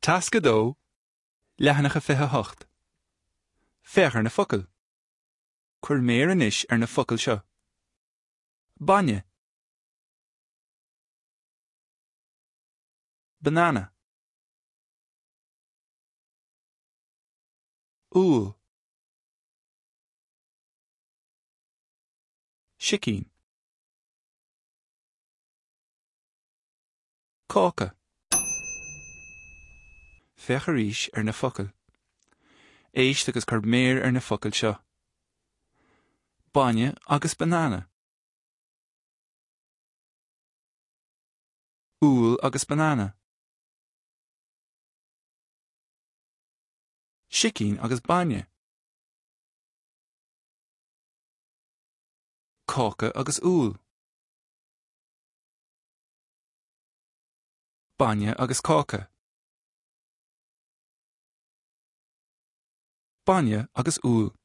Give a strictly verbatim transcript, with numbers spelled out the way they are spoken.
Tasc a dó, leathanach a fiche hocht. Féach ar na focail. Cuir méar anois ar na focail seo. Bainne. Banana. Úll. Sicín. Cáca. Féach arís ar na focail. Éist agus cuir méar ar na focail seo. Bainne agus banana. Úll agus banana. Sicín agus bainne. Cáca agus úll. Bainne agus cáca. Bainne agus úll.